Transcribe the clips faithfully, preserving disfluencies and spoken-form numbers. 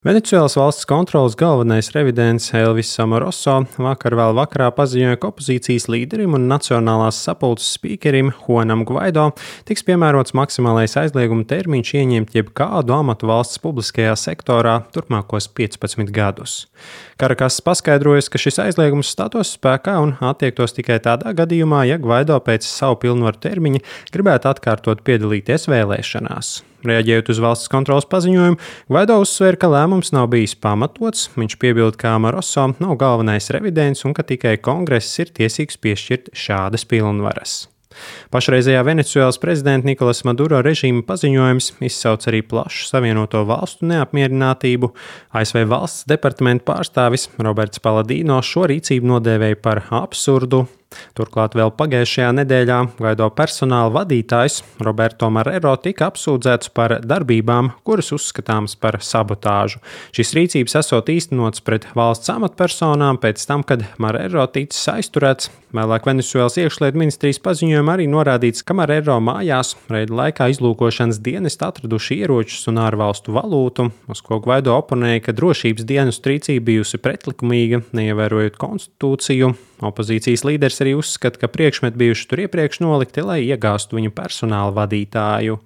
Venecuēlas valsts kontroles galvenais revidents Elvis Samoroso vakar vēl vakarā paziņoja, ka opozīcijas līderim un Nacionālās sapulces spīkerim Juanam Guaido tiks piemērots maksimālais aizlieguma termiņš ieņemt jebkādu amatu valsts publiskajā sektorā turpmākos piecpadsmit gadus. Karakas paskaidrojas, ka šis aizliegums stātos spēkā un attiektos tikai tādā gadījumā, ja Guaido pēc savu pilnvaru termiņa gribētu atkārtot piedalīties vēlēšanās. Reaģējot uz valsts kontroles paziņojumu, Guaido uzsvēra, ka lēmums nav bijis pamatots. Viņš piebilda, ka Amoroso nav galvenais revidents un ka tikai kongress ir tiesīgs piešķirt šādas pilnvaras. Pašreizējā Venecuēlas prezidenta Nikolas Maduro režīma paziņojums izsauc arī plašu Savienoto valstu neapmierinātību. A S V valsts departamenta pārstāvis Roberts Paladino šo rīcību nodēvēja par absurdu. Turklāt vēl pagājušajā nedēļā Guaido personāla vadītājs Roberto Marrero tika apsūdzēts par darbībām, kuras uzskatāmas par sabotāžu. Šīs rīcības esot īstenotas pret valsts amatpersonām pēc tam, kad Marrero ticis aizturēts. Vēlāk Venecuēlas iekšlietu ministrijas paziņojumā arī norādīts, ka Marrero mājās reida laikā izlūkošanas dienesti atraduši ieročus un ārvalstu valūtu, uz ko Guaido oponēja, ka drošības dienestu rīcība bijusi pretlikumīga, neievērojot konstitūciju. Opozīcijas līderis arī uzskata, ka priekšmeti bijuši tur iepriekš nolikti, lai iegāstu viņu personāla vadītāju.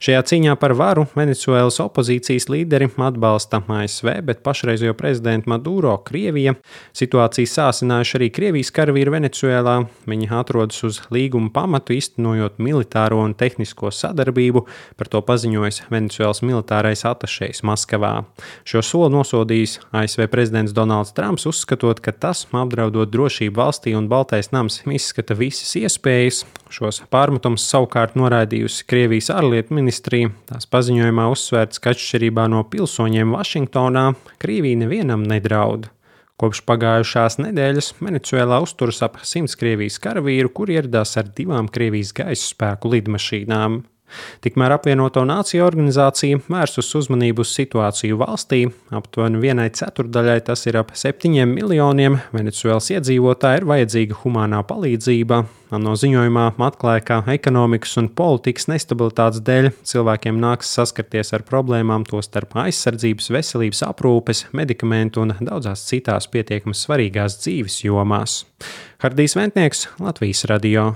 Šajā cīņā par varu Venecuēlas opozīcijas līderi atbalsta A S V, bet pašreizējo prezidentu Maduro Krievija. Situāciju sāsinājuši arī Krievijas karavīri Venecuēlā. Viņi atrodas uz līguma pamatu, iztenojot militāro un tehnisko sadarbību, par to paziņojis Venecuēlas militārais atašejs Maskavā. Šo soli nosodījis A S V prezidents Donalds Trumps, uzskatot, ka tas, apdraudot drošību valstī, un Baltais nams izskata visas iespējas. Šos pārmetumus savukārt noraidījusi Krievijas ārlietu ministrija. Tās paziņojumā uzsvērts, ka atšķirībā no pilsoņiem Vašingtonā, Krievija nevienam nedraud. Kopš pagājušās nedēļas Venecuēlā uzturas ap simts Krievijas karavīru, kuri ieradās ar divām Krievijas gaisa spēku lidmašīnām. Tikmēr apvienoto nāciju organizācija vērsus uzmanību uz situāciju valstī. Aptuveni vienai ceturdaļai, tas ir ap septiņiem miljoniem Venecuēlas iedzīvotāji, ir vajadzīga humānā palīdzība. ANO ziņojumā atklāja, ka ekonomikas un politikas nestabilitātes dēļ cilvēkiem nāks saskarties ar problēmām, tostarp aizsardzības, veselības aprūpes, medikamentu un daudzās citās pietiekami svarīgās dzīves jomās. Hardijs Ventnieks, Latvijas radio.